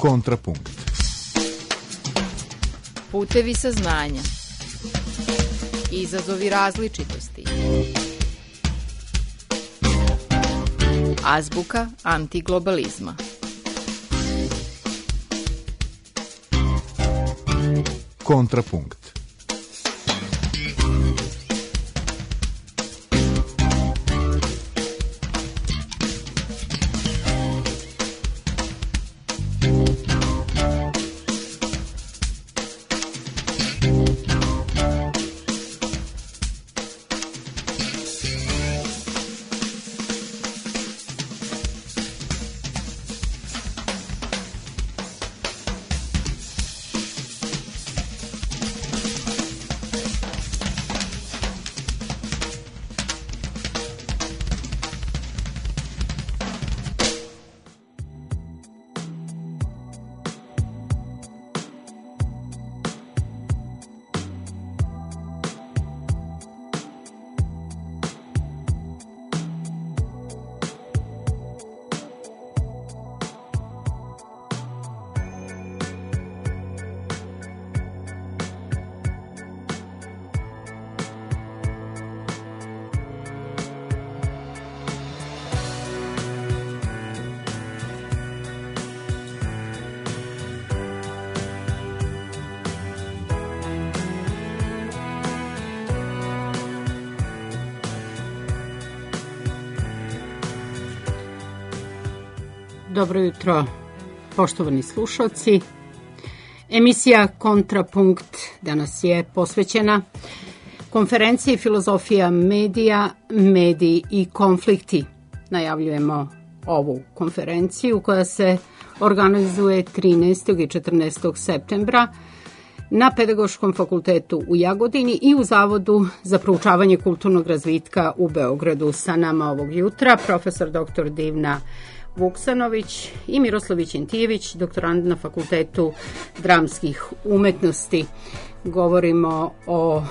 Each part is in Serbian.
Kontrapunkt. Putevi saznanja. Izazovi različitosti. Azbuka antiglobalizma. Kontrapunkt. Dobro jutro, poštovani slušalci. Emisija Kontrapunkt danas je posvećena konferenciji Filozofija medija, mediji i konflikti. Najavljujemo ovu konferenciju koja se organizuje 13. i 14. septembra na Pedagoškom fakultetu u Jagodini i u Zavodu za proučavanje kulturnog razvitka u Beogradu. Sa nama ovog jutra profesor dr. Divna Vuksanović i Miroslav Vićentijević, doktorant na Fakultetu dramskih umetnosti. Govorimo o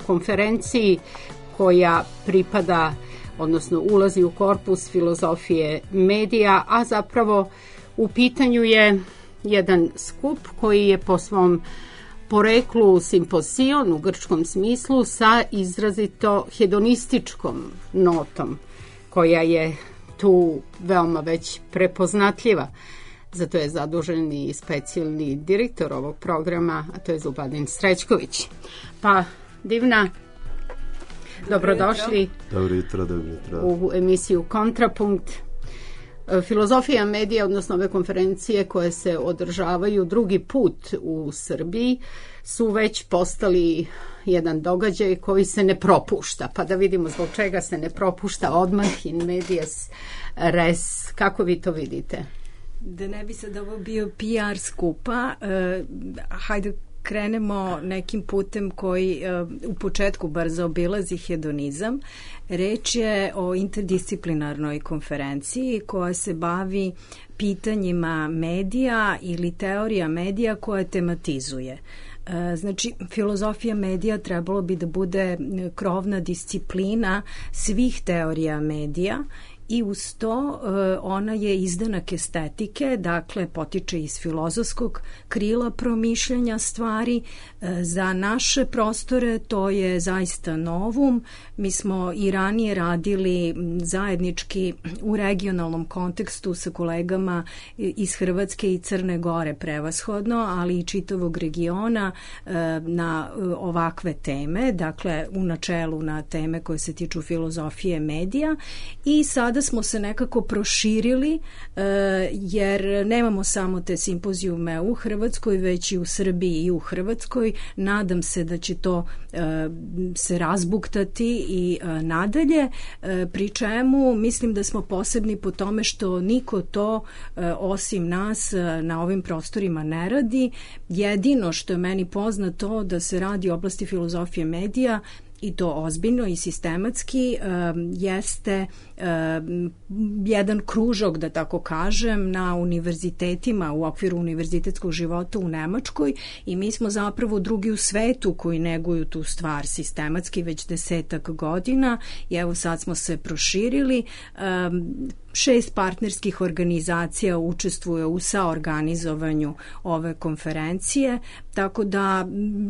konferenciji koja pripada, odnosno ulazi u korpus filozofije medija, a zapravo u pitanju je jedan skup koji je po svom poreklu simpozion u grčkom smislu sa izrazito hedonističkom notom koja je tu veoma već prepoznatljiva. Zato je zadužen i specijalni direktor ovog programa, a to je Zubadin Srećković. Pa, Divna, dobrodošli. Dobro jutro. U emisiju Kontrapunkt. Filozofija medija, odnosno ove konferencije koje se održavaju drugi put u Srbiji, su već postali jedan događaj koji se ne propušta. Pa da vidimo zbog čega se ne propušta odmah in medias res. Kako vi to vidite? Da ne bi sad ovo bio PR skupa, hajde krenemo nekim putem koji u početku bar zaobilazi hedonizam. Reč je o interdisciplinarnoj konferenciji koja se bavi pitanjima medija ili teorija medija koja tematizuje. Znači, filozofija medija trebalo bi da bude krovna disciplina svih teorija medija i uz to ona je izdanak estetike, dakle potiče iz filozofskog krila promišljanja stvari. Za naše prostore to je zaista novum. Mi smo i ranije radili zajednički u regionalnom kontekstu sa kolegama iz Hrvatske i Crne Gore prevashodno, ali i čitavog regiona na ovakve teme, dakle u načelu na teme koje se tiču filozofije medija. I sada smo se nekako proširili jer nemamo samo te simpozijume u Hrvatskoj, već i u Srbiji i u Hrvatskoj. Nadam se da će to se razbuktati i nadalje, pri čemu mislim da smo posebni po tome što niko to osim nas na ovim prostorima ne radi. Jedino što je meni poznato da se radi u oblasti filozofije medija i to ozbiljno i sistematski, jeste jedan kružok, da tako kažem, na univerzitetima u okviru univerzitetskog života u Nemačkoj i mi smo zapravo drugi u svetu koji neguju tu stvar sistematski već 10 godina i evo sad smo se proširili. 6 partnerskih organizacija učestvuje u saorganizovanju ove konferencije, tako da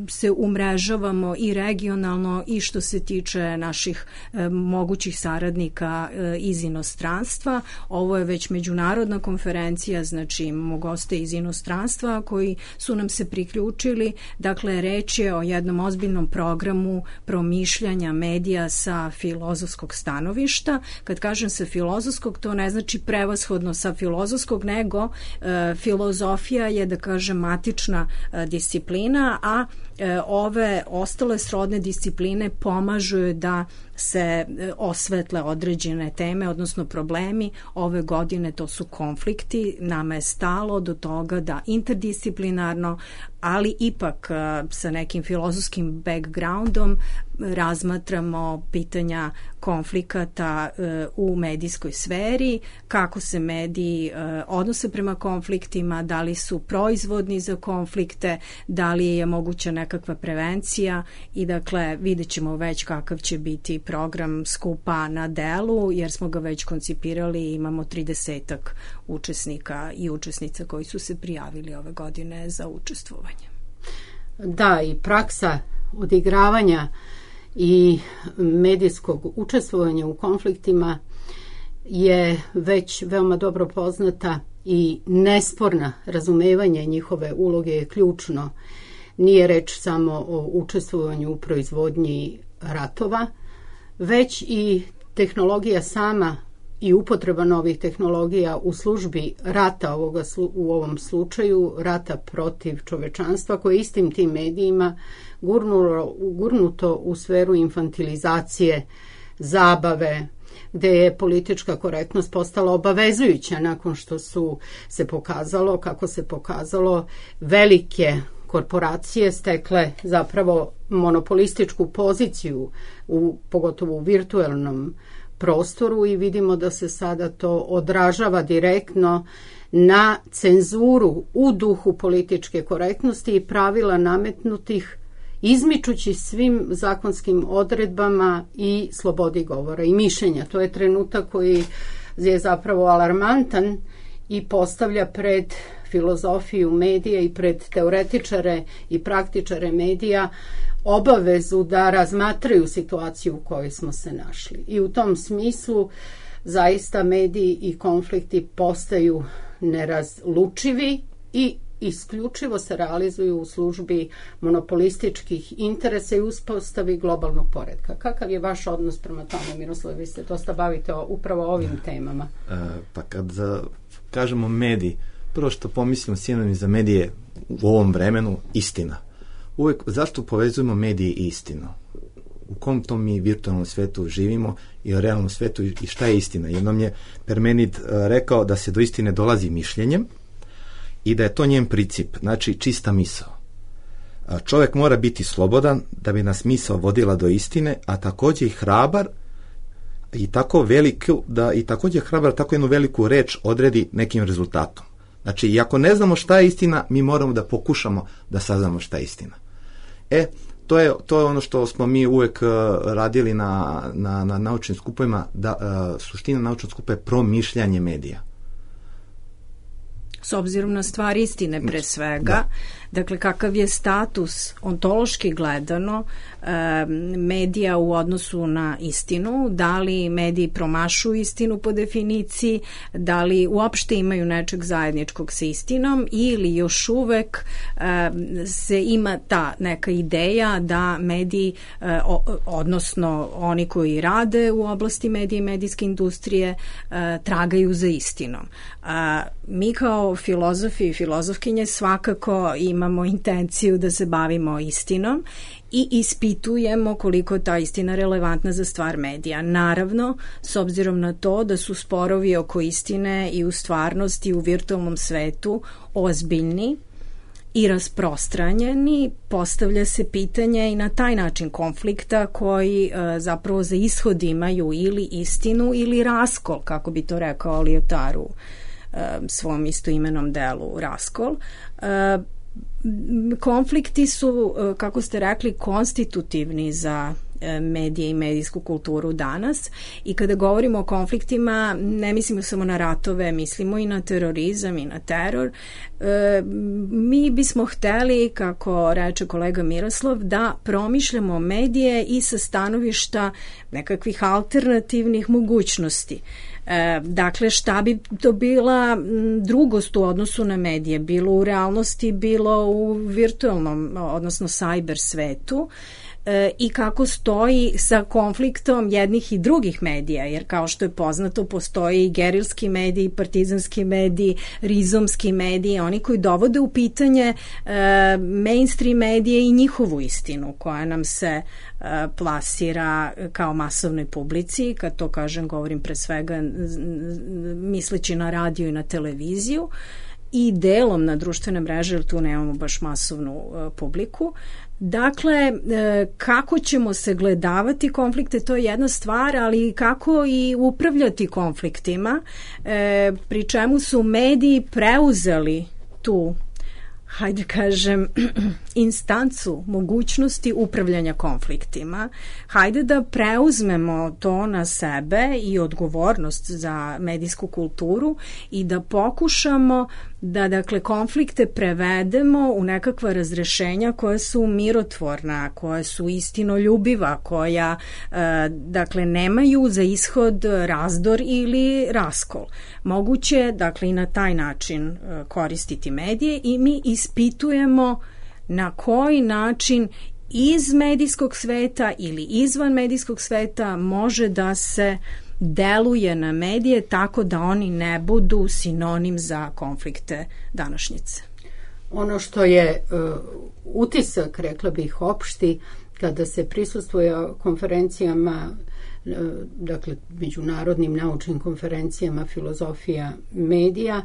se umrežavamo i regionalno i što se tiče naših mogućih saradnika iz inostranstva. Ovo je već međunarodna konferencija, znači imamo goste iz inostranstva koji su nam se priključili. Dakle, reč je o jednom ozbiljnom programu promišljanja medija sa filozofskog stanovišta. Kad kažem sa filozofskog, to ne znači prevashodno sa filozofskog, nego filozofija je, da kažem, matična disciplina, a ove ostale srodne discipline pomažu da se osvetle određene teme, odnosno problemi. Ove godine to su konflikti. Nama je stalo do toga da interdisciplinarno, ali ipak sa nekim filozofskim backgroundom razmatramo pitanja konflikata u medijskoj sferi, kako se mediji odnose prema konfliktima, da li su proizvodni za konflikte, da li je moguća nekakva prevencija i dakle vidjet ćemo već kakav će biti program skupa na delu, jer smo ga već koncipirali i imamo 30-ak učesnika i učesnica koji su se prijavili ove godine za učestvovanje. Da, i praksa odigravanja i medijskog učestvovanja u konfliktima je već veoma dobro poznata i nesporna. Razumevanje njihove uloge je ključno. Nije reč samo o učestvovanju u proizvodnji ratova, već i tehnologija sama i upotreba novih tehnologija u službi rata, u ovom slučaju rata protiv čovečanstva, koje istim tim medijima gurnuto u sferu infantilizacije, zabave, gde je politička korektnost postala obavezujuća nakon što su se pokazalo, kako se pokazalo, velike korporacije stekle zapravo monopolističku poziciju, pogotovo u virtualnom prostoru, i vidimo da se sada to odražava direktno na cenzuru u duhu političke korektnosti i pravila nametnutih, izmičući svim zakonskim odredbama i slobodi govora i mišljenja. To je trenutak koji je zapravo alarmantan i postavlja pred filozofiju medija i pred teoretičare i praktičare medija obavezu da razmatraju situaciju u kojoj smo se našli. I u tom smislu zaista mediji i konflikti postaju nerazlučivi i isključivo se realizuju u službi monopolističkih interesa i uspostavi globalnog poretka. Kakav je vaš odnos prema tome, Miroslav? Vi se dosta bavite upravo ovim temama. Pa kad kažemo mediji, prvo što pomislimo sinonim za medije u ovom vremenu, istina. Uvijek, zašto povezujemo medije i istinu? U kom tom mi virtualnom svetu živimo i u realnom svetu i šta je istina? Jednom je Parmenid rekao da se do istine dolazi mišljenjem i da je to njen princip, znači čista misao. Čovjek mora biti slobodan da bi nas misao vodila do istine, a također i hrabar i tako veliku, da i također hrabar tako jednu veliku reč odredi nekim rezultatom. Znači, i ako ne znamo šta je istina, mi moramo da pokušamo da saznamo šta je istina. To je ono što smo mi uvek radili na naučnim skupovima, da suština naučnog skupa je promišljanje medija. S obzirom na stvar istine pre svega, da. Dakle, kakav je status ontološki gledano medija u odnosu na istinu, da li mediji promašuju istinu po definiciji, da li uopšte imaju nečeg zajedničkog sa istinom ili još uvek se ima ta neka ideja da mediji, odnosno oni koji rade u oblasti medija i medijske industrije, tragaju za istinom. Mi kao filozofi i filozofkinje svakako imamo intenciju da se bavimo istinom i ispitujemo koliko ta istina relevantna za stvar medija. Naravno, s obzirom na to da su sporovi oko istine i u stvarnosti u virtualnom svetu ozbiljni i rasprostranjeni, postavlja se pitanje i na taj način konflikta koji zapravo za ishod imaju ili istinu ili raskol, kako bi to rekao Lyotard u svom istoimenom delu Raskol. Konflikti su, kako ste rekli, konstitutivni za medije i medijsku kulturu danas. I kada govorimo o konfliktima, ne mislimo samo na ratove, mislimo i na terorizam i na teror. Mi bismo hteli, kako reče kolega Miroslav, da promišljamo medije i sa stanovišta nekakvih alternativnih mogućnosti. Dakle, šta bi to bila drugost u odnosu na medije, bilo u realnosti, bilo u virtualnom, odnosno cyber svetu, i kako stoji sa konfliktom jednih i drugih medija, jer kao što je poznato postoji i gerilski mediji, partizanski mediji, rizomski mediji, oni koji dovode u pitanje mainstream medije i njihovu istinu koja nam se plasira kao masovnoj publici. Kad to kažem, govorim pre svega misleći na radio i na televiziju i delom na društvene mreže, jer tu nemamo baš masovnu publiku. Dakle, kako ćemo se gledavati konflikte, to je jedna stvar, ali kako i upravljati konfliktima, pri čemu su mediji preuzeli tu, hajde kažem, instancu mogućnosti upravljanja konfliktima. Hajde da preuzmemo to na sebe i odgovornost za medijsku kulturu i da pokušamo da, dakle, konflikte prevedemo u nekakva razrešenja koja su mirotvorna, koja su istinoljubiva, koja, dakle, nemaju za ishod razdor ili raskol. Moguće, dakle, i na taj način koristiti medije i mi ispitujemo na koji način iz medijskog sveta ili izvan medijskog sveta može da se deluje na medije tako da oni ne budu sinonim za konflikte današnjice. Ono što je utisak, rekla bih, opšti, kada se prisustvuje konferencijama, dakle međunarodnim naučnim konferencijama filozofija medija,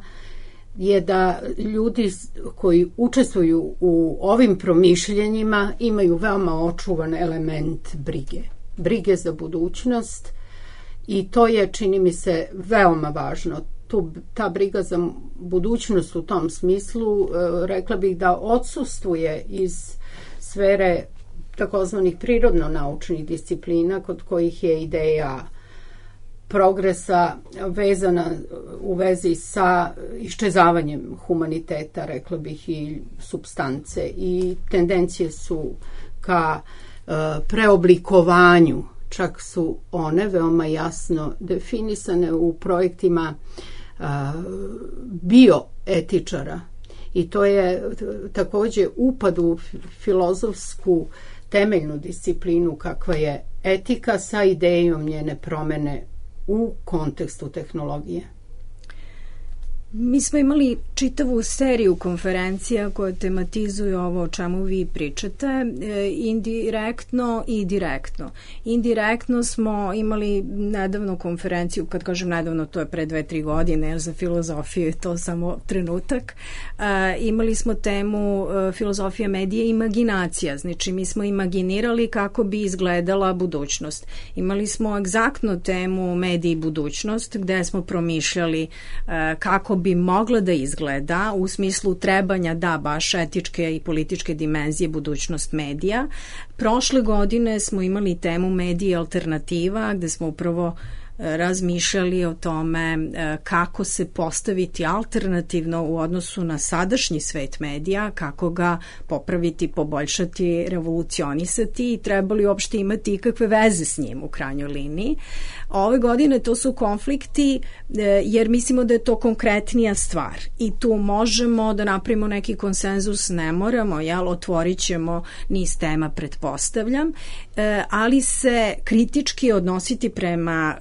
je da ljudi koji učestvuju u ovim promišljenjima imaju veoma očuvan element brige. Brige za budućnost, i to je, čini mi se, veoma važno. Ta briga za budućnost u tom smislu, rekla bih da odsustvuje iz sfere takozvanih prirodno-naučnih disciplina, kod kojih je ideja progresa vezana u vezi sa iščezavanjem humaniteta, rekla bih, i supstance, i tendencije su ka preoblikovanju. Čak su one veoma jasno definisane u projektima bioetičara, i to je takođe upad u filozofsku temeljnu disciplinu kakva je etika sa idejom njene promene u kontekstu tehnologije. Mi smo imali čitavu seriju konferencija koje tematizuju ovo o čemu vi pričate, indirektno i direktno. Indirektno smo imali nedavno konferenciju, kad kažem nedavno, to je pre 2-3 godine, jer za filozofiju je to samo trenutak. Imali smo temu filozofija medije i imaginacija, znači mi smo imaginirali kako bi izgledala budućnost. Imali smo egzaktno temu mediji i budućnost, gde smo promišljali kako bi mogla da izgleda u smislu trebanja da baš etičke i političke dimenzije budućnost medija. Prošle godine smo imali temu medije alternativa, gde smo upravo razmišljali o tome kako se postaviti alternativno u odnosu na sadašnji svet medija, kako ga popraviti, poboljšati, revolucionisati i trebali uopšte imati ikakve veze s njim u krajnjoj liniji. Ove godine to su konflikti jer mislimo da je to konkretnija stvar i tu možemo da napravimo neki konsenzus, ne moramo, otvorit ćemo niz tema, pretpostavljam, ali se kritički odnositi prema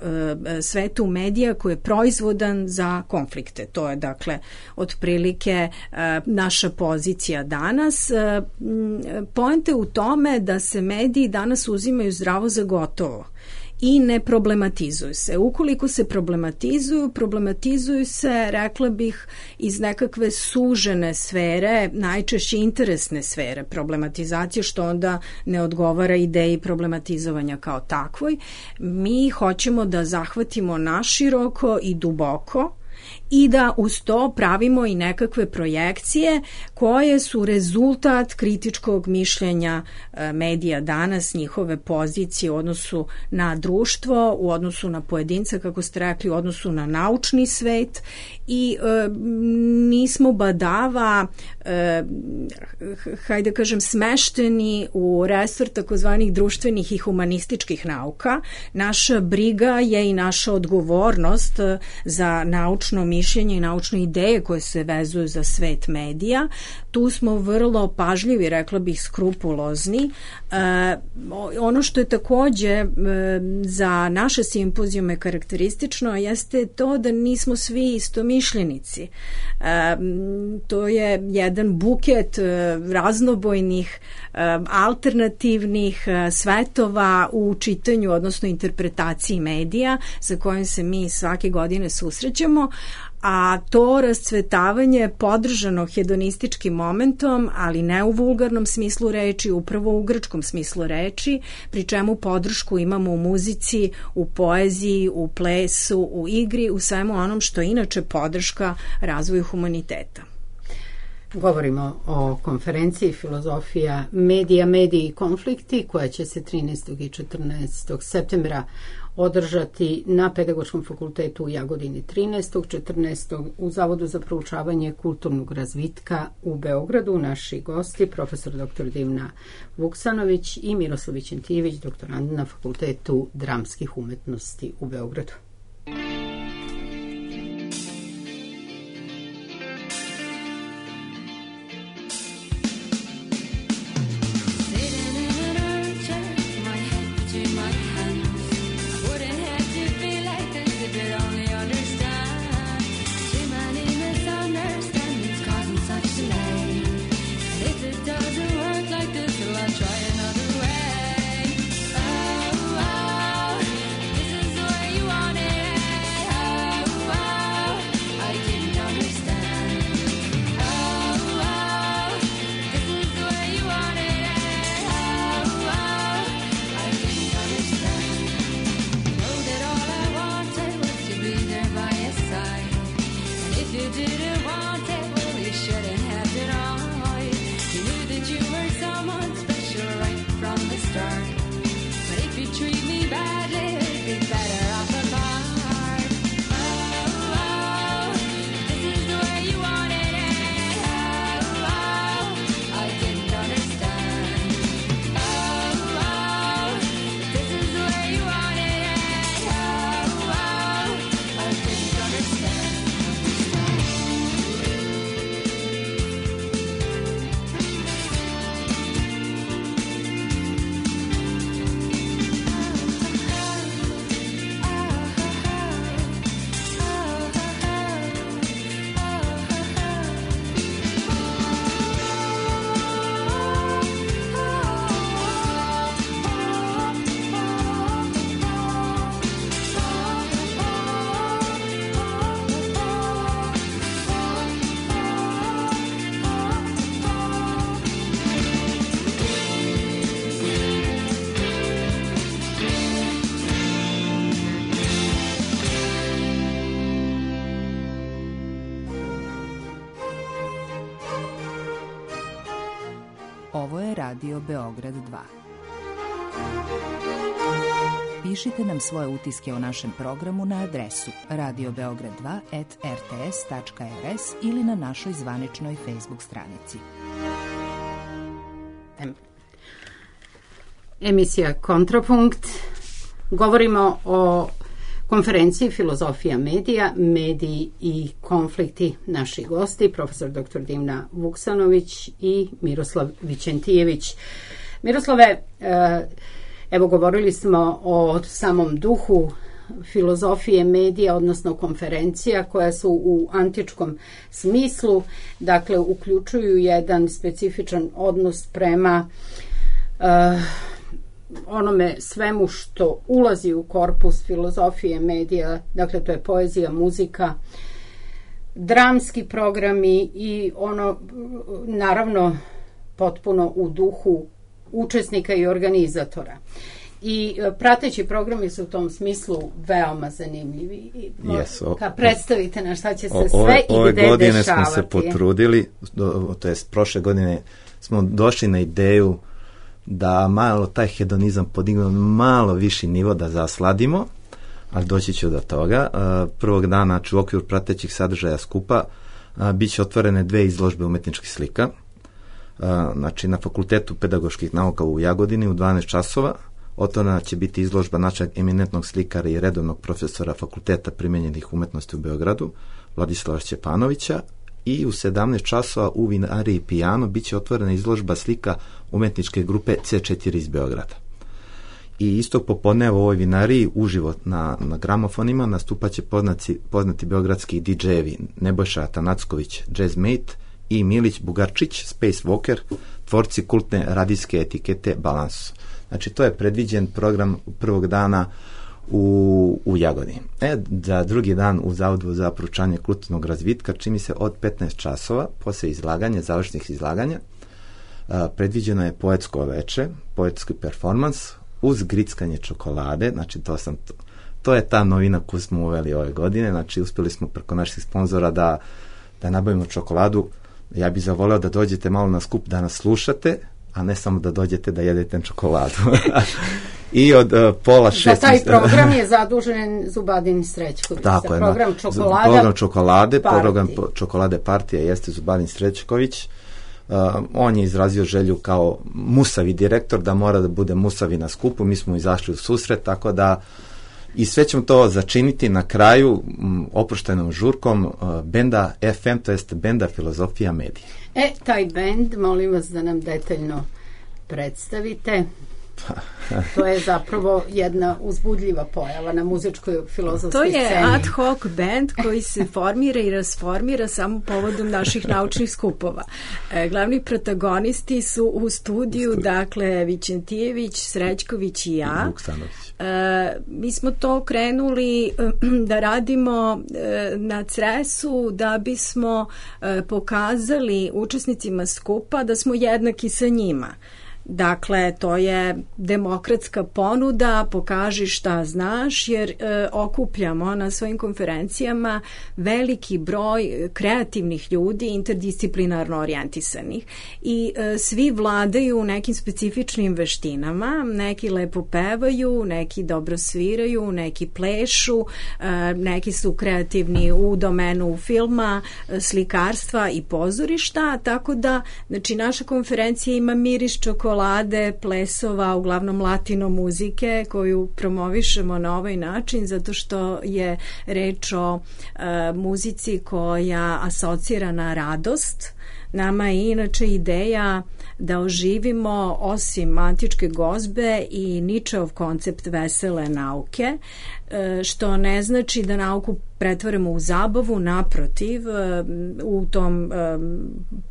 svetu medija koji je proizvodan za konflikte. To je, dakle, otprilike naša pozicija danas. Poenta je u tome da se mediji danas uzimaju zdravo za gotovo i ne problematizuju se. Ukoliko se problematizuju se, rekla bih, iz nekakve sužene sfere, najčešće interesne sfere problematizacije, što onda ne odgovara ideji problematizovanja kao takvoj. Mi hoćemo da zahvatimo naširoko i duboko i da uz to pravimo i nekakve projekcije koje su rezultat kritičkog mišljenja medija danas, njihove pozicije u odnosu na društvo, u odnosu na pojedinca, kako ste rekli, u odnosu na naučni svet i nismo badava hajde kažem smešteni u resor takozvanih društvenih i humanističkih nauka. Naša briga je i naša odgovornost za naučno mišljenje i naučne ideje koje se vezuju za svet medija. Tu smo vrlo pažljivi, rekla bih skrupulozni. Ono što je takođe za naše simpozijume karakteristično jeste to da nismo svi istomišljenici. To je jedan buket raznobojnih alternativnih svetova u čitanju, odnosno interpretaciji medija sa kojim se mi svake godine susrećemo, a to rascvetavanje je podržano hedonističkim momentom, ali ne u vulgarnom smislu reči, upravo u grčkom smislu reči, pri čemu podršku imamo u muzici, u poeziji, u plesu, u igri, u svemu onom što je inače podrška razvoju humaniteta. Govorimo o konferenciji Filozofija medija, mediji i konflikti koja će se 13. i 14. septembra održati na Pedagoškom fakultetu u Jagodini 13. 14. u Zavodu za proučavanje kulturnog razvitka u Beogradu. Naši gosti, profesor dr. Divna Vuksanović i Miroslav Vićentijević, doktorand na Fakultetu dramskih umetnosti u Beogradu. Ovo je Radio Beograd 2. Pišite nam svoje utiske o našem programu na adresu radiobeograd2@rts.rs ili na našoj zvaničnoj Facebook stranici. Emisija Kontrapunkt. Govorimo o konferenciji Filozofija medija, mediji i konflikti. Naši gosti, profesor dr. Divna Vuksanović i Miroslav Vićentijević. Miroslave, evo govorili smo o samom duhu filozofije medija, odnosno konferencija koja su u antičkom smislu, dakle uključuju jedan specifičan odnos prema onome svemu što ulazi u korpus filozofije medija, dakle to je poezija, muzika, dramski programi i ono naravno potpuno u duhu učesnika i organizatora. I prateći programi su u tom smislu veoma zanimljivi. Predstavite na šta će se sve i gde dešavati. Ove godine smo se potrudili, to jest prošle godine smo došli na ideju da malo taj hedonizam podignemo malo viši nivo, da zasladimo, ali doći ću do toga. Prvog dana, znači u okviru pratećih sadržaja skupa, bit će otvorene 2 izložbe umetničkih slika. Znači na Fakultetu pedagoških nauka u Jagodini u 12 časova. Otvorena će biti izložba našeg eminentnog slikara i redovnog profesora Fakulteta primenjenih umetnosti u Beogradu, Vladislava Šćepanovića, i u 17 časova u vinariji Pijano bit će otvorena izložba slika umetničke grupe C4 iz Beograda. I istog popodneva u ovoj vinariji uživo na gramofonima nastupat će poznati beogradski DJ-evi Nebojša Atanacković, Jazzmate, i Milić Bugarčić, Space Walker, tvorci kultne radijske etikete Balans. Znači, to je predviđen program prvog dana u Jagodini. Za drugi dan u Zavodu za proučavanje kulturnog razvitka, čini se od 15 časova, posle izlaganja, završnih izlaganja, predviđeno je poetsko veče, poetski performans, uz grickanje čokolade. Znači, to je ta novina koju smo uveli ove godine. Znači, uspjeli smo preko naših sponzora da nabavimo čokoladu. Ja bih zavoleo da dođete malo na skup, da nas slušate, a ne samo da dođete da jedete čokoladu. I od pola 6... Za taj program je zadužen Zubadin Srećković. Tako je. Program čokolade partija jeste Zubadin Srećković. On je izrazio želju kao musavi direktor da mora da bude musavi na skupu. Mi smo izašli u susret, tako da i sve ćemo to začiniti na kraju oproštenom žurkom benda FM, to jest benda Filozofija medije. Taj bend, molim vas da nam detaljno predstavite. To je zapravo jedna uzbudljiva pojava na muzičkoj filozofskoj sceni. To je ad hoc band koji se formira i rasformira samo povodom naših naučnih skupova. Glavni protagonisti su u studiju, dakle Vićentijević, Srećković i ja. Mi smo to krenuli da radimo na Cresu da bismo pokazali učesnicima skupa da smo jednaki sa njima. Dakle, to je demokratska ponuda, pokaži šta znaš, jer okupljamo na svojim konferencijama veliki broj kreativnih ljudi, interdisciplinarno orijentisanih, i svi vladaju nekim specifičnim veštinama. Neki lepo pevaju, neki dobro sviraju, neki plešu, neki su kreativni u domenu filma, slikarstva i pozorišta, tako da, znači, naša konferencija ima miris čokolade, plesova, uglavnom latino muzike koju promovišemo na ovaj način zato što je reč o muzici koja asocira na radost. Nama je inače ideja da oživimo osim antičke gozbe i Ničeov koncept vesele nauke, što ne znači da nauku pretvaramo u zabavu, naprotiv, u tom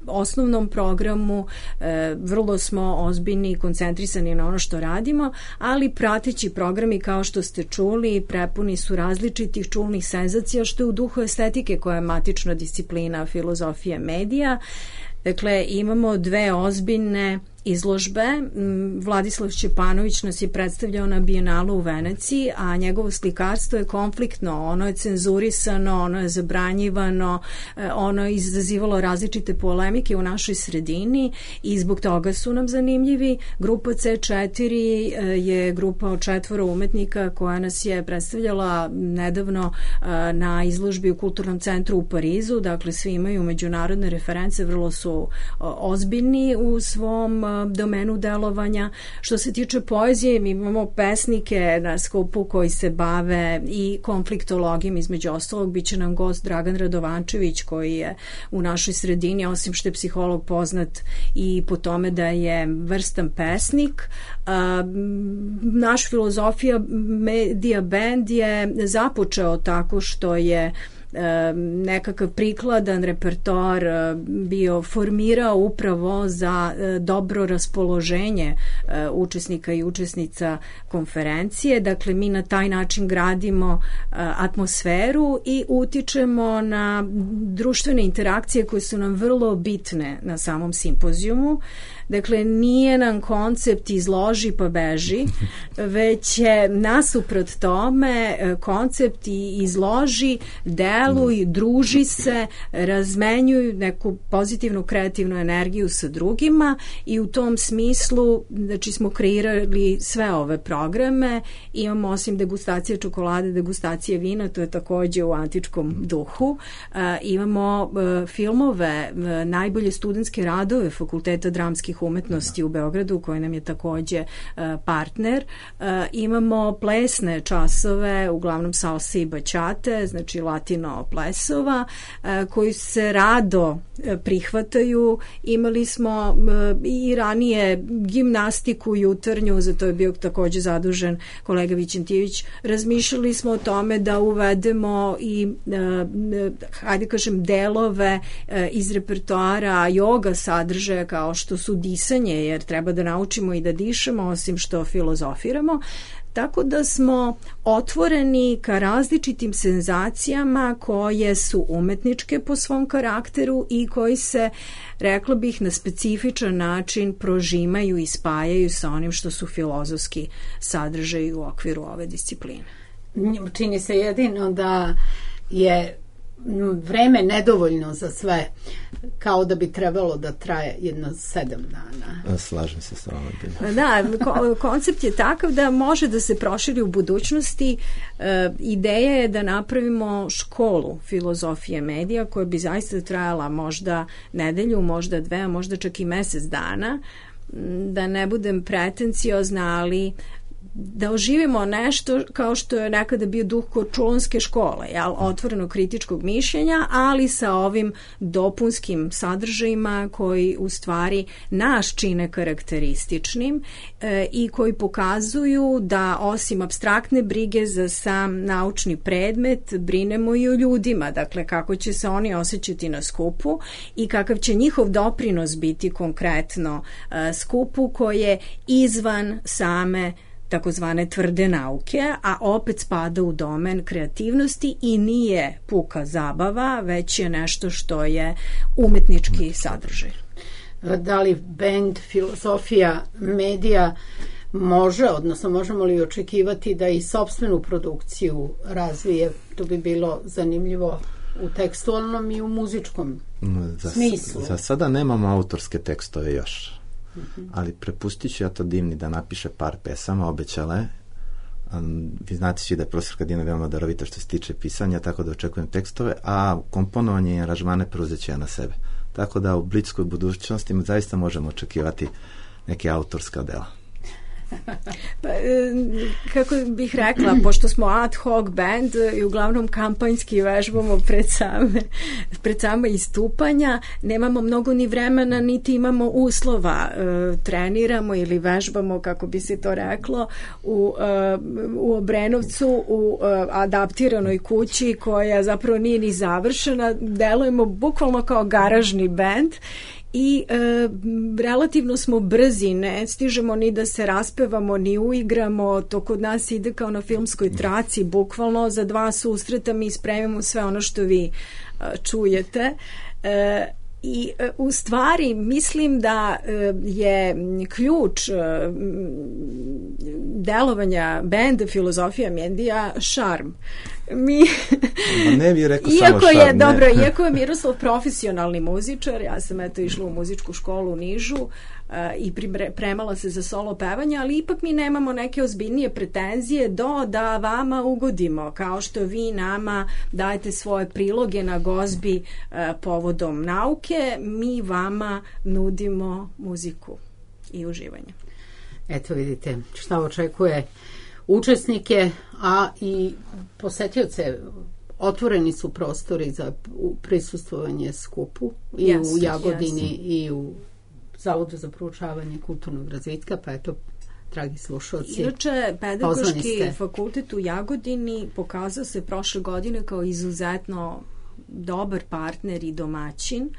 osnovnom programu vrlo smo ozbiljni i koncentrisani na ono što radimo, ali prateći programi, kao što ste čuli, prepuni su različitih čulnih senzacija, što je u duhu estetike koja je matična disciplina filozofije medija. Dakle, imamo 2 ozbiljne izložbe. Vladislav Šćepanović nas je predstavljao na Bijenalu u Veneciji, a njegovo slikarstvo je konfliktno, ono je cenzurisano, ono je zabranjivano, ono je izazivalo različite polemike u našoj sredini i zbog toga su nam zanimljivi. Grupa C4 je grupa od 4 umetnika koja nas je predstavljala nedavno na izložbi u Kulturnom centru u Parizu. Dakle, svi imaju međunarodne reference, vrlo su ozbiljni u svom domenu delovanja. Što se tiče poezije, mi imamo pesnike na skupu koji se bave i konfliktologijom, između ostalog biće nam gost Dragan Radovančević, koji je u našoj sredini, osim što je psiholog, poznat i po tome da je vrstan pesnik. Naš Filozofija medija band je započeo tako što je nekakav prikladan repertoar bio formirao upravo za dobro raspoloženje učesnika i učesnica konferencije. Dakle, mi na taj način gradimo atmosferu i utičemo na društvene interakcije koje su nam vrlo bitne na samom simpozijumu. Dakle, nije nam koncept izloži pa beži, već je nasuprot tome koncept izloži, deluj, druži se, razmenjuj neku pozitivnu kreativnu energiju sa drugima i u tom smislu znači smo kreirali sve ove programe. Imamo osim degustacije čokolade, degustacije vina, to je takođe u antičkom duhu. Imamo filmove, najbolje studentske radove Fakulteta dramskih umetnosti u Beogradu, koji nam je takođe partner. Imamo plesne časove, uglavnom salse i bačate, znači latino plesova, koji se rado prihvataju. Imali smo i ranije gimnastiku jutarnju, za to je bio takođe zadužen kolega Vićentijević. Razmišljali smo o tome da uvedemo i hajde kažem delove iz repertoara joga sadržaja kao što su disanje, jer treba da naučimo i da dišemo osim što filozofiramo. Tako da smo otvoreni ka različitim senzacijama koje su umetničke po svom karakteru i koji se, rekla bih, na specifičan način prožimaju i spajaju sa onim što su filozofski sadržaji u okviru ove discipline. Čini se jedino da je vreme nedovoljno za sve, kao da bi trebalo da traje jedno 7 dana. Slažem se sa vama. Da, koncept je takav da može da se proširi u budućnosti. Ideja je da napravimo školu filozofije medija koja bi zaista trajala možda nedelju, možda 2, možda čak i mesec dana. Da ne budem pretenciozna, ali da oživimo nešto kao što je nekada bio duh Korčulonske škole, otvoreno kritičkog mišljenja, ali sa ovim dopunskim sadržajima koji u stvari nas čine karakterističnim i koji pokazuju da osim apstraktne brige za sam naučni predmet, brinemo i o ljudima, dakle kako će se oni osjećati na skupu i kakav će njihov doprinos biti konkretno skupu koje izvan same takozvane tvrde nauke, a opet spada u domen kreativnosti i nije puka zabava, već je nešto što je umetnički sadržaj. Da li bend filozofija medija može, odnosno možemo li očekivati da i sopstvenu produkciju razvije? To bi bilo zanimljivo u tekstualnom i u muzičkom smislu. Za sada nemamo autorske tekstove još. Ali prepustit ću ja to Divni da napiše par pesama, obećala je. Vi znate svi da je profesorka Dina veoma darovita što se tiče pisanja, tako da očekujem tekstove, a komponovanje i aranžmane preuzet ću ja na sebe. Tako da u bliskoj budućnosti zaista možemo očekivati neke autorska dela. Pa, kako bih rekla, pošto smo ad hoc band i uglavnom kampanjski vežbamo pred same istupanja, nemamo mnogo ni vremena, niti imamo uslova. Treniramo ili vežbamo, kako bi se to reklo, u Obrenovcu, u adaptiranoj kući koja zapravo nije ni završena. Delujemo bukvalno kao garažni band i relativno smo brzi, ne stižemo ni da se raspevamo, ni uigramo, to kod nas ide kao na filmskoj traci, bukvalno za 2 susreta mi spremimo sve ono što vi čujete. I u stvari mislim da je ključ delovanja benda filozofija medija šarm. Ne bih rekao samo šarm. Iako je Miroslav profesionalni muzičar, ja sam išla u muzičku školu u Nižu i pripremala se za solo pevanje, ali ipak mi nemamo neke ozbiljnije pretenzije da vama ugodimo, kao što vi nama dajete svoje priloge na gozbi povodom nauke, mi vama nudimo muziku i uživanje. Eto vidite šta očekuje učesnike, a i posetioce. Otvoreni su prostori za prisustvovanje skupu i u Jagodini i u Zavodu za proučavanje kulturnog razvitka, pa eto, dragi slušalci, inače, Pedagoški fakultet u Jagodini pokazao se prošle godine kao izuzetno dobar partner i domaćin,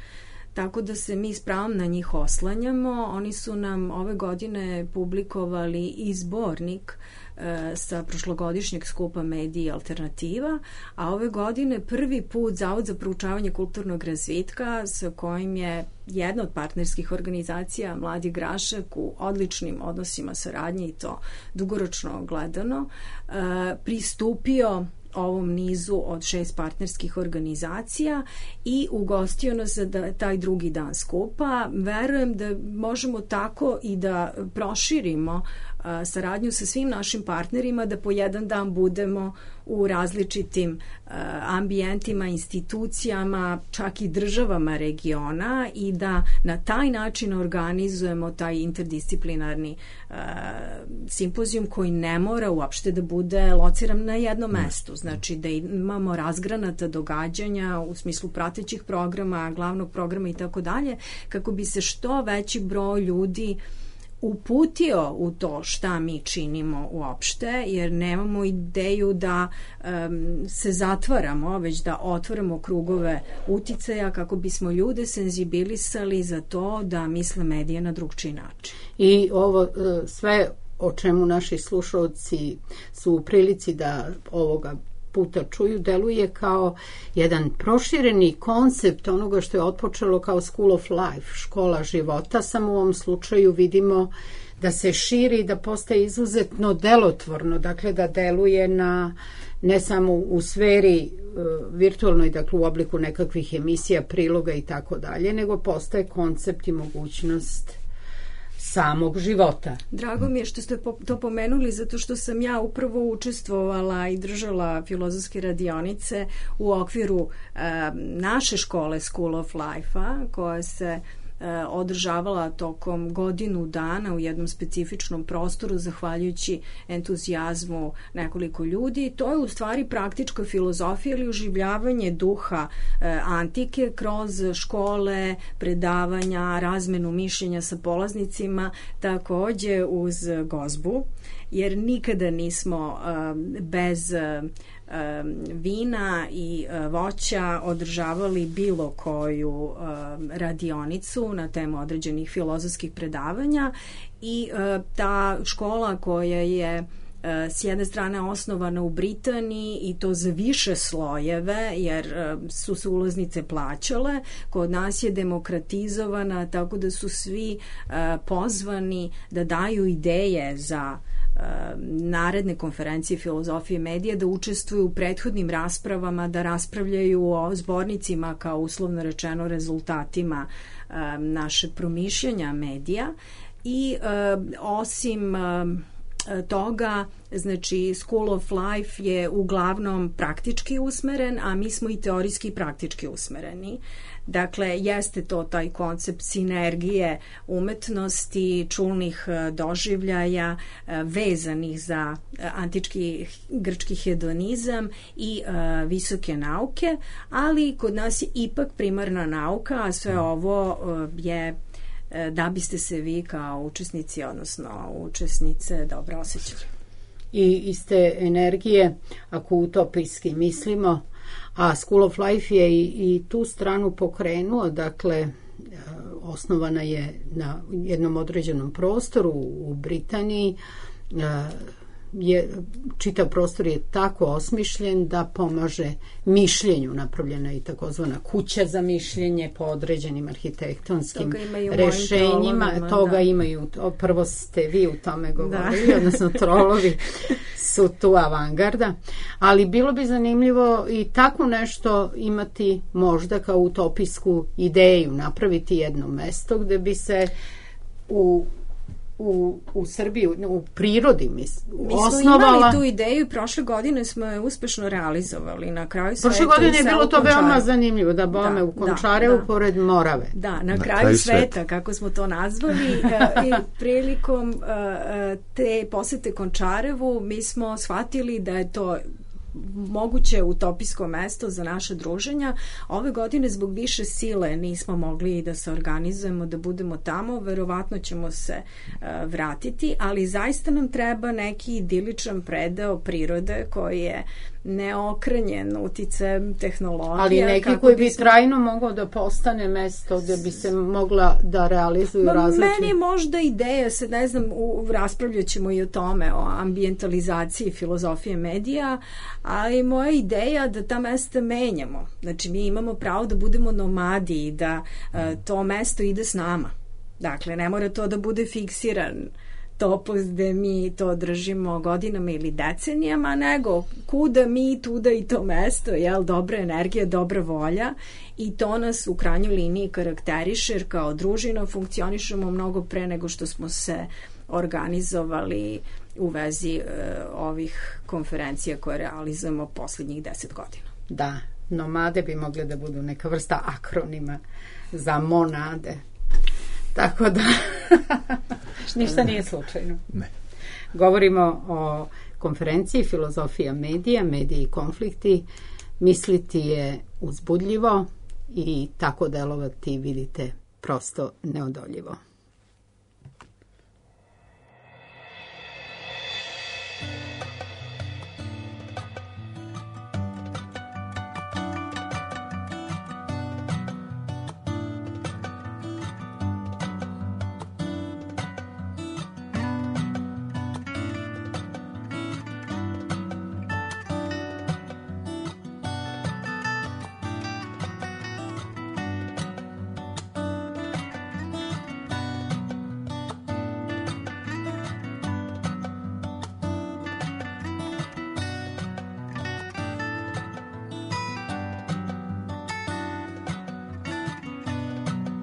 tako da se mi s pravom na njih oslanjamo. Oni su nam ove godine publikovali i zbornik sa prošlogodišnjeg skupa Mediji i alternativa, a ove godine prvi put Zavod za proučavanje kulturnog razvitka, sa kojim je jedna od partnerskih organizacija Mladi Grašak u odličnim odnosima saradnje i to dugoročno gledano, pristupio ovom nizu od 6 partnerskih organizacija i ugostio nas za taj drugi dan skupa. Verujem da možemo tako i da proširimo saradnju sa svim našim partnerima, da po jedan dan budemo u različitim ambijentima, institucijama, čak i državama regiona i da na taj način organizujemo taj interdisciplinarni simpozijum koji ne mora uopšte da bude lociran na jednom mestu. Znači da imamo razgranata događanja u smislu pratećih programa, glavnog programa i tako dalje, kako bi se što veći broj ljudi uputio u to šta mi činimo uopšte, jer nemamo ideju da se zatvaramo, već da otvaramo krugove uticaja kako bismo ljude senzibilisali za to da misle medije na drugčiji način. I ovo sve o čemu naši slušalci su u prilici da ovoga puta čuju, deluje kao jedan prošireni koncept onoga što je otpočelo kao School of Life, škola života, samo u ovom slučaju vidimo da se širi, da postaje izuzetno delotvorno, dakle da deluje na ne samo u sferi virtualnoj, dakle u obliku nekakvih emisija, priloga i tako dalje, nego postaje koncept i mogućnost samog života. Drago mi je što ste to pomenuli, zato što sam ja upravo učestvovala i držala filozofske radionice u okviru naše škole School of Life-a, koja se održavala tokom godinu dana u jednom specifičnom prostoru zahvaljujući entuzijazmu nekoliko ljudi. To je u stvari praktička filozofija ili oživljavanje duha antike kroz škole, predavanja, razmenu mišljenja sa polaznicima, takođe uz gozbu, jer nikada nismo bez vina i voća održavali bilo koju radionicu na temu određenih filozofskih predavanja i ta škola koja je s jedne strane osnovana u Britaniji i to za više slojeve jer su se ulaznice plaćale, kod nas je demokratizovana tako da su svi pozvani da daju ideje za naredne konferencije filozofije medija, da učestvuju u prethodnim raspravama, da raspravljaju o zbornicima kao uslovno rečeno rezultatima naše promišljanja medija i osim toga, znači School of Life je uglavnom praktički usmeren, a mi smo i teorijski i praktički usmereni. Dakle, jeste to taj koncept sinergije umetnosti, čulnih doživljaja vezanih za antički grčki hedonizam i visoke nauke, ali kod nas je ipak primarna nauka, a sve ovo je da biste se vi kao učesnici, odnosno učesnice dobro osjećali. I iz te energije, ako utopijski mislimo, a School of Life je i tu stranu pokrenuo, dakle osnovana je na jednom određenom prostoru u Britaniji, čitav prostor je tako osmišljen da pomaže mišljenju, napravljena i takozvana kuća za mišljenje po određenim arhitektonskim rešenjima. Toga imaju, prvo ste vi u tome govorili, odnosno trolovi su tu avangarda, ali bilo bi zanimljivo i tako nešto imati možda kao utopijsku ideju, napraviti jedno mesto gde bi se u Srbiji, u prirodi mi smo imali tu ideju i prošle godine smo je uspešno realizovali. Na kraju prošle godine je bilo to veoma zanimljivo, da bome u Končarevu pored Morave. Da, na kraju sveta, kako smo to nazvali, i prilikom te posete Končarevu mi smo shvatili da je to moguće utopijsko mesto za naše druženja. Ove godine zbog više sile nismo mogli da se organizujemo, da budemo tamo, verovatno ćemo se vratiti, ali zaista nam treba neki idiličan predeo prirode koji je neokrenjen uticajem tehnologija. Ali neki koji bi trajno mogao da postane mesto gde bi se mogla da realizuju različite... Meni je možda ideja, sad ne znam, raspravljat ćemo i o tome, o ambientalizaciji filozofije medija, ali moja ideja da ta mesta menjamo. Znači, mi imamo pravo da budemo nomadi i da to mesto ide s nama. Dakle, ne mora to da bude fiksiran topos gde mi to držimo godinama ili decenijama, nego kuda mi, tuda i to mesto, jel, dobra energija, dobra volja, i to nas u krajnjoj liniji karakteriše, jer kao družina funkcionišemo mnogo pre nego što smo se organizovali u vezi ovih konferencija koje realizujemo poslednjih 10 godina. Da, nomade bi mogle da budu neka vrsta akronima za monade. Tako da, ništa nije slučajno. Ne. Govorimo o konferenciji Filozofija medija, mediji i konflikti. Misliti je uzbudljivo i tako delovati, vidite, prosto neodoljivo.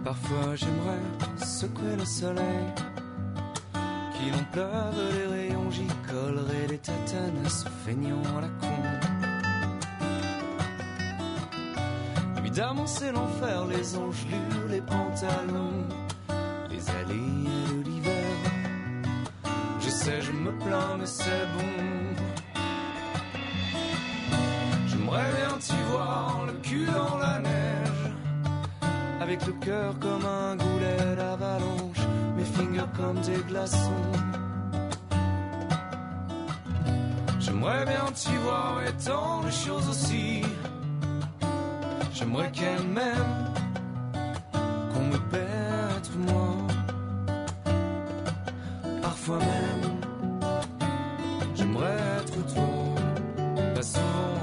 Parfois j'aimerais secouer le soleil, qu'il en pleuve les rayons, j'y collerai des tatanes à ce feignant à la con. Évidemment c'est l'enfer, les engelures, les pantalons, les allées de l'hiver. Je sais, je me plains mais c'est bon. J'aimerais bien t'y voir, le cul dans la neige, avec le cœur comme un goulet d'avalanche, mes fingers comme des glaçons. J'aimerais bien t'y voir et tant de choses aussi. J'aimerais qu'elle m'aime, qu'on me pète moi. Parfois même, j'aimerais être toi. Pas souvent,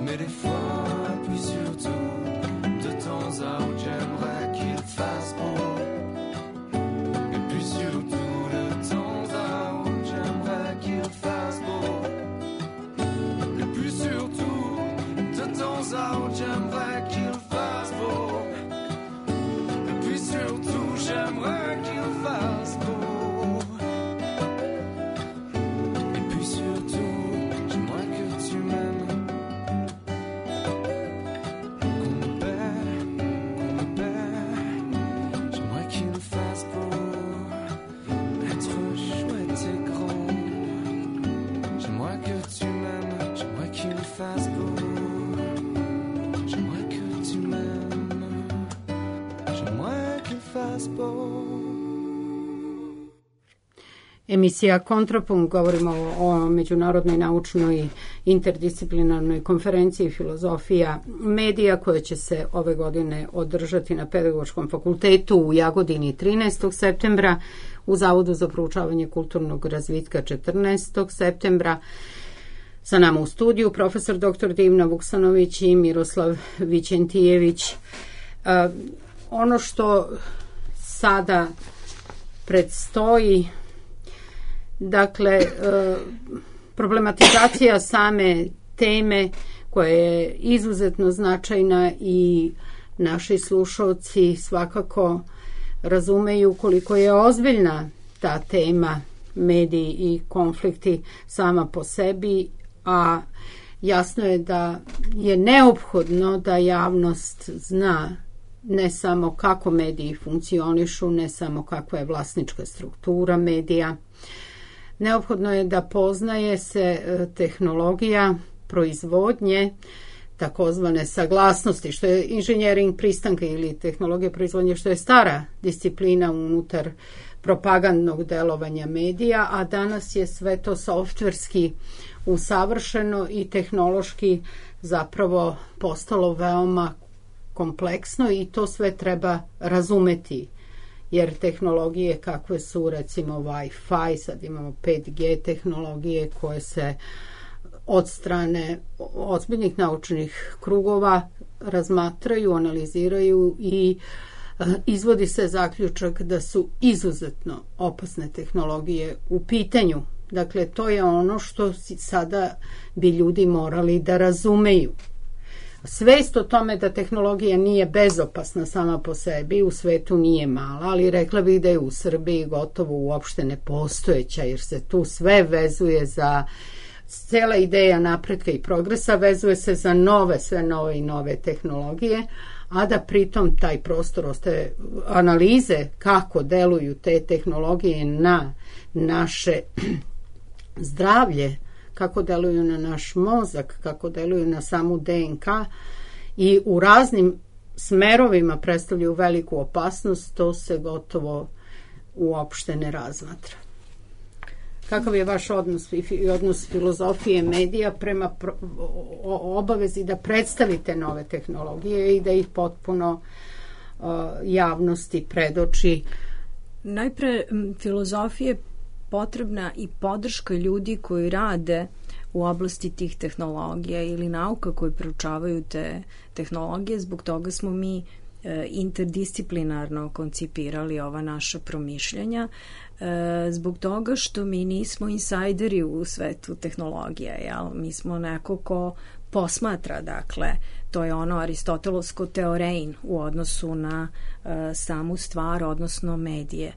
mais des fois, puis surtout, de temps à autre, j'aimerais qu'il fasse beau. Et puis surtout, de temps à autre, j'aimerais qu'il fasse beau. Et puis surtout, de temps à autre, j'aimerais qu'il fasse beau. Et puis surtout, j'aimerais qu'il fasse beau. Et puis surtout, j'aimerais que tu m'aimes. Emisija Kontrapunkt, govorimo o međunarodnoj naučnoj interdisciplinarnoj konferenciji filozofija medija koja će se ove godine održati na Pedagoškom fakultetu u Jagodini 13. septembra, u Zavodu za proučavanje kulturnog razvitka 14. septembra. Sa nama u studiju profesor dr. Divna Vuksanović i Miroslav Vićentijević. Ono što sada predstoji, dakle, problematizacija same teme koja je izuzetno značajna i naši slušalci svakako razumeju koliko je ozbiljna ta tema, mediji i konflikti sama po sebi, a jasno je da je neophodno da javnost zna ne samo kako mediji funkcionišu, ne samo kakva je vlasnička struktura medija. Neophodno je da poznaje se tehnologija, proizvodnje, takozvane saglasnosti, što je inženjering pristanka ili tehnologija proizvodnje, što je stara disciplina unutar propagandnog delovanja medija, a danas je sve to softverski usavršeno i tehnološki zapravo postalo veoma kompleksno i to sve treba razumeti, jer tehnologije kakve su recimo Wi-Fi, sad imamo 5G tehnologije koje se od strane ozbiljnih naučnih krugova razmatraju, analiziraju i izvodi se zaključak da su izuzetno opasne tehnologije u pitanju. Dakle, to je ono što sada bi ljudi morali da razumeju. Svest o tome da tehnologija nije bezopasna sama po sebi u svetu nije mala, ali rekla bih da je u Srbiji gotovo uopšte nepostojeća, jer se tu sve vezuje za cela ideja napretka i progresa, vezuje se za sve nove i nove tehnologije, a da pritom taj prostor ostaje analize kako deluju te tehnologije na naše zdravlje, kako deluju na naš mozak, kako deluju na samu DNK i u raznim smerovima predstavljaju veliku opasnost, to se gotovo uopšte ne razmatra. Kakav je vaš odnos i odnos filozofije medija prema obavezi da predstavite nove tehnologije i da ih potpuno javnosti predoči? Najpre, filozofije potrebna i podrška ljudi koji rade u oblasti tih tehnologija ili nauka koji proučavaju te tehnologije. Zbog toga smo mi interdisciplinarno koncipirali ova naša promišljanja, zbog toga što mi nismo insajderi u svetu tehnologija, jel? Mi smo neko ko posmatra, dakle, to je ono aristotelovsko teorein u odnosu na samu stvar, odnosno medije.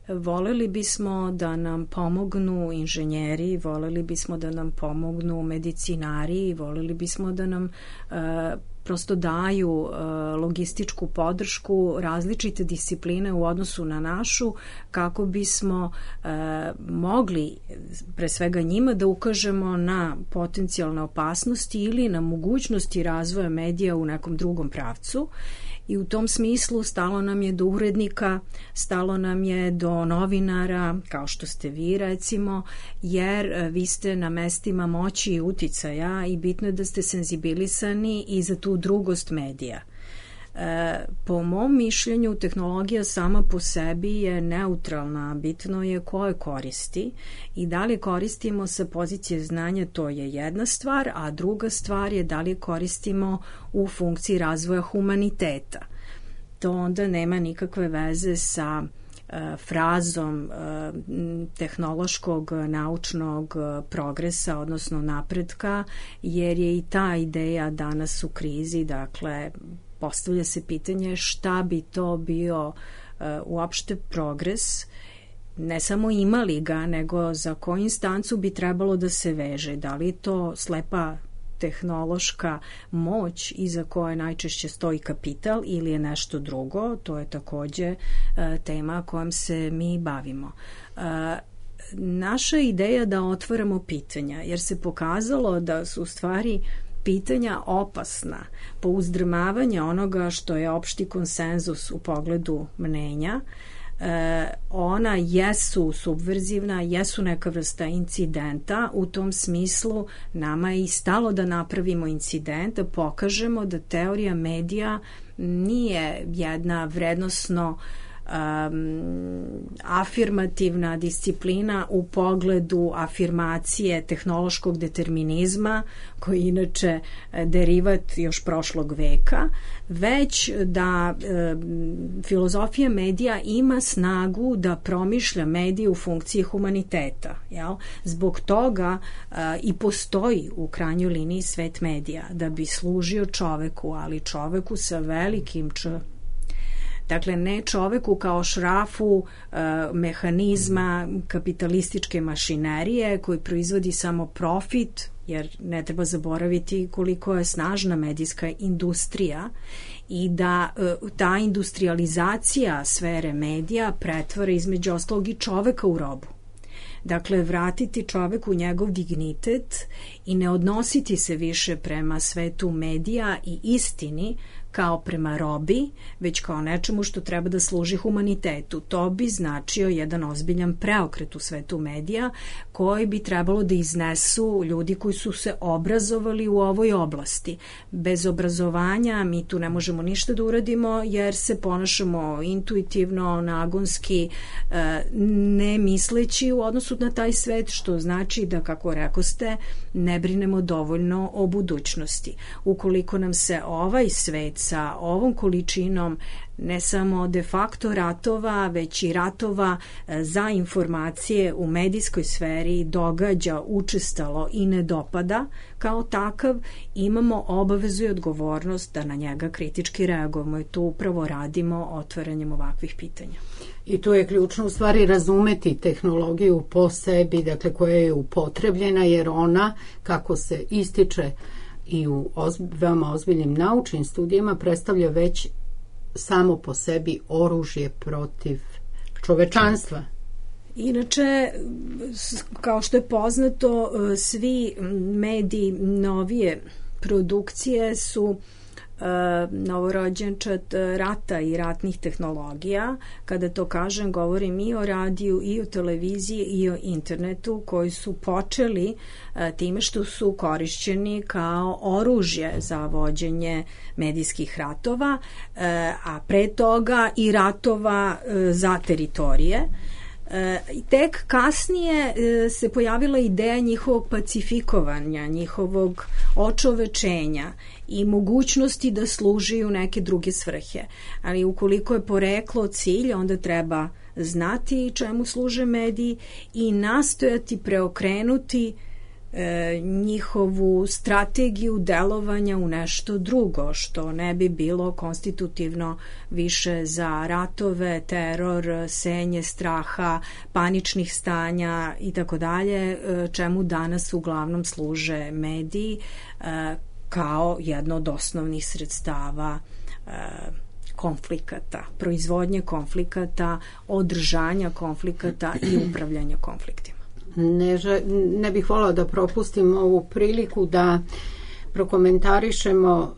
Voleli bismo da nam pomognu inženjeri, voleli bismo da nam pomognu medicinari, voleli bismo da nam prosto daju logističku podršku, različite discipline u odnosu na našu, kako bismo mogli pre svega njima da ukažemo na potencijalne opasnosti ili na mogućnosti razvoja medija u nekom drugom pravcu. I u tom smislu stalo nam je do urednika, stalo nam je do novinara, kao što ste vi recimo, jer vi ste na mestima moći i uticaja i bitno je da ste senzibilisani i za tu drugost medija. Po mom mišljenju, tehnologija sama po sebi je neutralna, bitno je ko je koristi i da li koristimo sa pozicije znanja, to je jedna stvar, a druga stvar je da li koristimo u funkciji razvoja humaniteta. To onda nema nikakve veze sa frazom tehnološkog naučnog progresa, odnosno napretka, jer je i ta ideja danas u krizi, dakle, postavlja se pitanje šta bi to bio uopšte progres, ne samo imali ga, nego za koju instancu bi trebalo da se veže, da li to slepa tehnološka moć iza koje najčešće stoji kapital ili je nešto drugo, to je takođe tema kojom se mi bavimo. Naša ideja da otvaramo pitanja, jer se pokazalo da su u stvari pitanja opasna po uzdrmavanja onoga što je opšti konsenzus u pogledu mnenja. Ona jesu subverzivna, jesu neka vrsta incidenta, u tom smislu nama je i stalo da napravimo incident, da pokažemo da teorija medija nije jedna vrednosno afirmativna disciplina u pogledu afirmacije tehnološkog determinizma, koji je inače derivat još prošlog veka, već da filozofija medija ima snagu da promišlja medije u funkciji humaniteta. Jel? Zbog toga i postoji u krajnjoj liniji svet medija, da bi služio čoveku, ali čoveku sa velikim č. Dakle, ne čoveku kao šrafu mehanizma kapitalističke mašinerije koji proizvodi samo profit, jer ne treba zaboraviti koliko je snažna medijska industrija i da ta industrializacija sfere medija pretvara između ostalog i čoveka u robu. Dakle, vratiti čoveku njegov dignitet i ne odnositi se više prema svetu medija i istini kao prema robi, već kao nečemu što treba da služi humanitetu. To bi značio jedan ozbiljan preokret u svetu medija koji bi trebalo da iznesu ljudi koji su se obrazovali u ovoj oblasti. Bez obrazovanja mi tu ne možemo ništa da uradimo jer se ponašamo intuitivno, nagonski, ne misleći u odnosu na taj svet, što znači da, kako rekoste, ne brinemo dovoljno o budućnosti. Ukoliko nam se ovaj svet sa ovom količinom ne samo de facto ratova, već i ratova za informacije u medijskoj sferi događa učestalo i ne dopada kao takav, imamo obavezu i odgovornost da na njega kritički reagujemo i to upravo radimo otvaranjem ovakvih pitanja. I tu je ključno u stvari razumeti tehnologiju po sebi, dakle koja je upotrebljena, jer ona, kako se ističe i u veoma ozbiljnim naučnim studijama, predstavlja već samo po sebi oružje protiv čovečanstva. Inače, kao što je poznato, svi mediji novije produkcije su novorođenčad rata i ratnih tehnologija. Kada to kažem, govorim i o radiju, i o televiziji, i o internetu, koji su počeli time što su korišćeni kao oružje za vođenje medijskih ratova, a pre toga i ratova za teritorije. Tek kasnije se pojavila ideja njihovog pacifikovanja, njihovog očovečenja i mogućnosti da služi u neke druge svrhe. Ali ukoliko je poreklo cilj, onda treba znati čemu služe mediji i nastojati preokrenuti njihovu strategiju delovanja u nešto drugo, što ne bi bilo konstitutivno više za ratove, teror, senje straha, paničnih stanja i tako dalje, čemu danas uglavnom služe mediji kao jedno od osnovnih sredstava konflikata, proizvodnje konflikata, održanja konflikata i upravljanja konfliktima. Ne bih volila da propustim ovu priliku da prokomentarišemo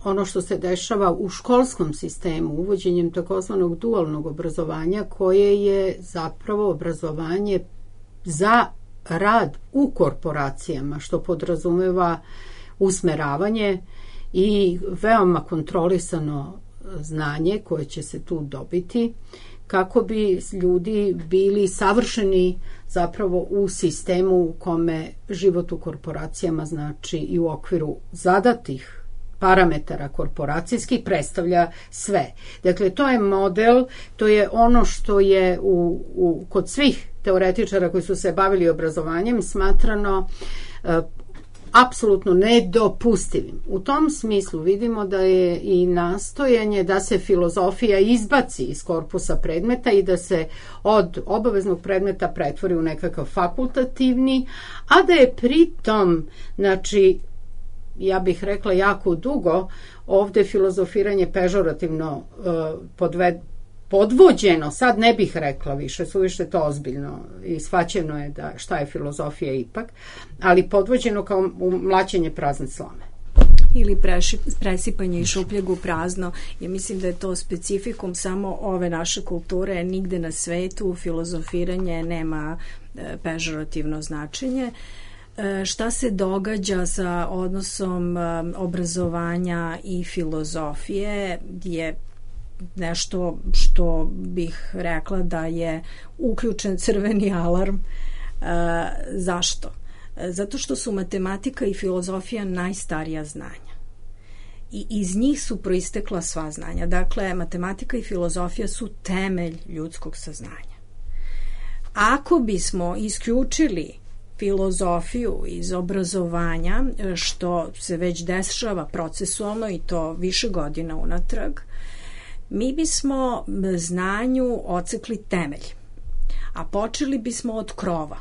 ono što se dešava u školskom sistemu, uvođenjem takozvanog dualnog obrazovanja, koje je zapravo obrazovanje za rad u korporacijama, što podrazumeva usmeravanje i veoma kontrolisano znanje koje će se tu dobiti, kako bi ljudi bili savršeni zapravo u sistemu u kome život u korporacijama, znači i u okviru zadatih parametara korporacijskih, predstavlja sve. Dakle, to je model, to je ono što je kod svih teoretičara koji su se bavili obrazovanjem smatrano apsolutno nedopustivim. U tom smislu vidimo da je i nastojanje da se filozofija izbaci iz korpusa predmeta i da se od obaveznog predmeta pretvori u nekakav fakultativni, a da je pritom, znači, ja bih rekla jako dugo, ovde filozofiranje pežorativno podvođeno, sad ne bih rekla više, suviše to ozbiljno i shvaćeno je da šta je filozofija ipak, ali podvođeno kao mlaćenje prazne slame. Ili presipanje iz šupljeg u prazno. Ja mislim da je to specifikum samo ove naše kulture, nigde na svetu filozofiranje nema pežorativno značenje. Šta se događa sa odnosom obrazovanja i filozofije je nešto što bih rekla da je uključen crveni alarm. Zašto? Zato što su matematika i filozofija najstarija znanja. I iz njih su proistekla sva znanja. Dakle, matematika i filozofija su temelj ljudskog saznanja. Ako bismo isključili filozofiju iz obrazovanja, što se već dešava procesualno i to više godina unatrag, mi bismo znanju ocekli temelj, a počeli bismo od krova,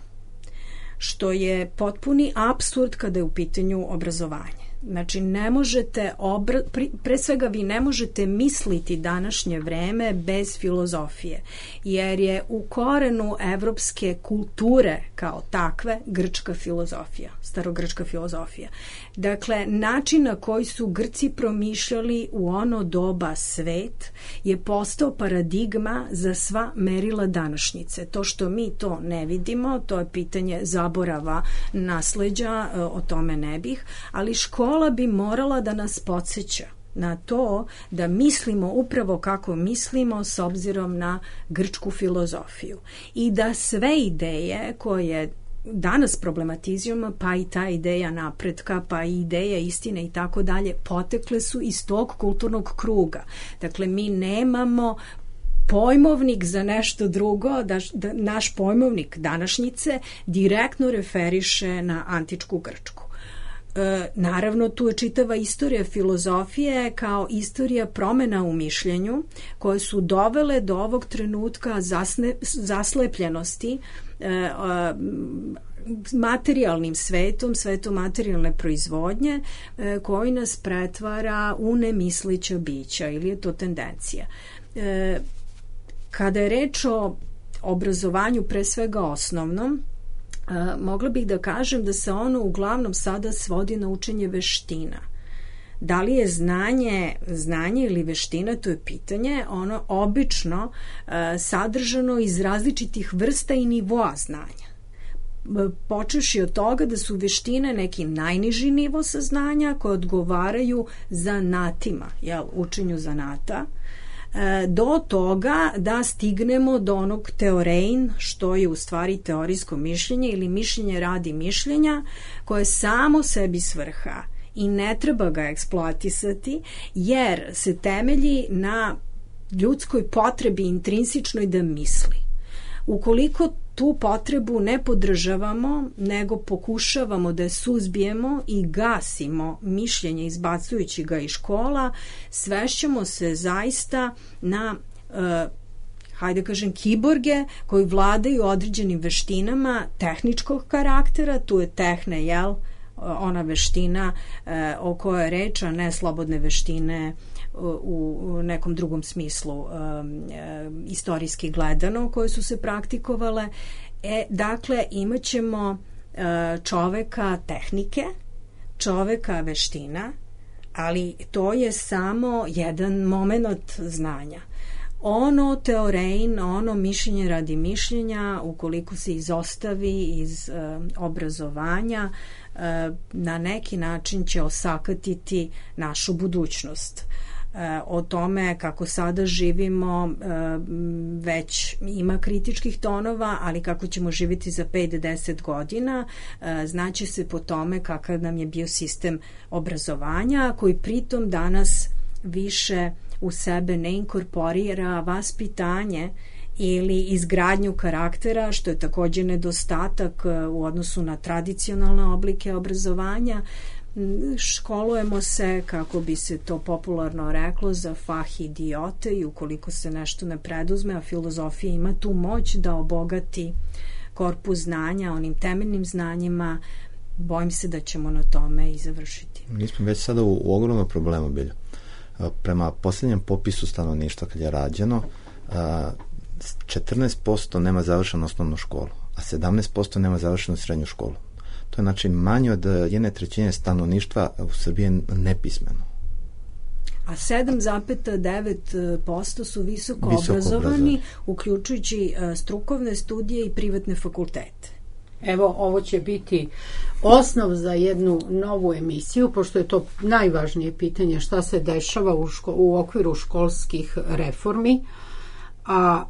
što je potpuni apsurd kada je u pitanju obrazovanje. Znači, ne možete, pre svega vi ne možete misliti današnje vreme bez filozofije, jer je u korenu evropske kulture kao takve grčka filozofija, starogrčka filozofija. Dakle, način na koji su Grci promišljali u ono doba svet je postao paradigma za sva merila današnjice. To što mi to ne vidimo, to je pitanje zaborava, nasleđa, o tome ne bih, ali škola bi morala da nas podsjeća na to da mislimo upravo kako mislimo s obzirom na grčku filozofiju i da sve ideje koje danas problematizujemo, pa i ta ideja napretka, pa i ideja istine i tako dalje, potekle su iz tog kulturnog kruga. Dakle, mi nemamo pojmovnik za nešto drugo, da naš pojmovnik današnjice direktno referiše na antičku Grčku. Naravno, tu je čitava istorija filozofije kao istorija promena u mišljenju koje su dovele do ovog trenutka zaslepljenosti materijalnim svetom, svetom materijalne proizvodnje koji nas pretvara u nemislića bića ili je to tendencija. Kada je reč o obrazovanju pre svega osnovnom, mogla bih da kažem da se ono uglavnom sada svodi na učenje veština. Da li je znanje ili veština, to je pitanje, ono obično sadržano iz različitih vrsta i nivoa znanja. Počevši od toga da su veštine neki najniži nivo saznanja koje odgovaraju zanatima, učenju zanata, do toga da stignemo do onog teorein, što je u stvari teorijsko mišljenje ili mišljenje radi mišljenja, koje samo sebi svrha i ne treba ga eksploatisati, jer se temelji na ljudskoj potrebi intrinsičnoj da misli. Ukoliko tu potrebu ne podržavamo, nego pokušavamo da je suzbijemo i gasimo mišljenje izbacujući ga iz škola, svešćemo se zaista na hajde kažem kiborge koji vladaju određenim veštinama tehničkog karaktera, tu je tehne, ona veština o kojoj je reč, a ne slobodne veštine u nekom drugom smislu istorijski gledano koje su se praktikovale. Dakle, imat ćemo čoveka tehnike, čoveka veština, ali to je samo jedan moment znanja. Ono teorein, ono mišljenje radi mišljenja, ukoliko se izostavi iz obrazovanja, na neki način će osakatiti našu budućnost. O tome kako sada živimo već ima kritičkih tonova, ali kako ćemo živjeti za 5-10 godina znaće se po tome kakav nam je bio sistem obrazovanja, koji pritom danas više u sebe ne inkorporira vaspitanje ili izgradnju karaktera, što je također nedostatak u odnosu na tradicionalne oblike obrazovanja. Školujemo se, kako bi se to popularno reklo, za fah idiote i ukoliko se nešto ne preduzme, a filozofija ima tu moć da obogati korpus znanja onim temeljnim znanjima, bojim se da ćemo na tome i završiti. Mi smo već sada u ogromnom problemu bili. Prema posljednjem popisu stanovništva kad je rađeno, 14% nema završenu osnovnu školu, a 17% nema završenu srednju školu. To je znači manje od 1/3 stanovništva u Srbiji nepismeno. A 7,9% su visoko obrazovani, uključujući strukovne studije i privatne fakultete. Evo, ovo će biti osnov za jednu novu emisiju, pošto je to najvažnije pitanje šta se dešava u okviru školskih reformi, a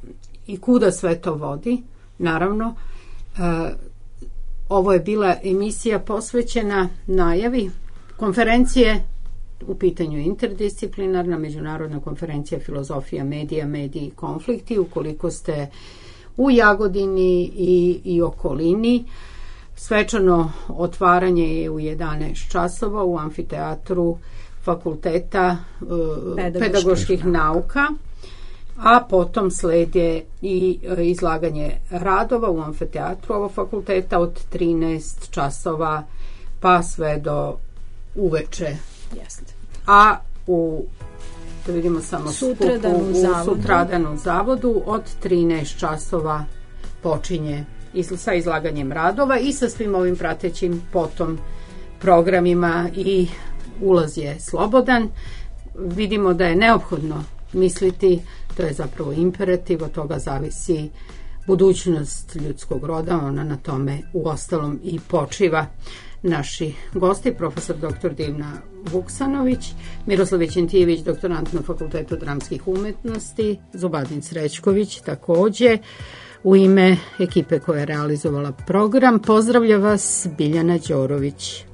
i kuda sve to vodi. Naravno, ovo je bila emisija posvećena najavi konferencije, u pitanju interdisciplinarna međunarodna konferencija filozofija medija, mediji i konflikti. Ukoliko ste u Jagodini i okolini, svečano otvaranje je u 11 časova u amfiteatru Fakulteta pedagoških nauka, a potom slijede i izlaganje radova u amfiteatru ovog fakulteta od 13 časova pa sve do uveče. Jeste. A da vidimo samo Sutradan sutradan u zavodu od 13 časova počinje sa izlaganjem radova i sa svim ovim pratećim potom programima i ulaz je slobodan. Vidimo da je neophodno misliti, to je zapravo imperativ, od toga zavisi budućnost ljudskog roda, ona na tome u ostalom i počiva. Naši gosti, profesor dr. Divna Vuksanović, Miroslav Vićentijević, doktorant na Fakultetu dramskih umetnosti, Zubadin Srećković takođe. U ime ekipe koja je realizovala program, pozdravlja vas Biljana Đorović.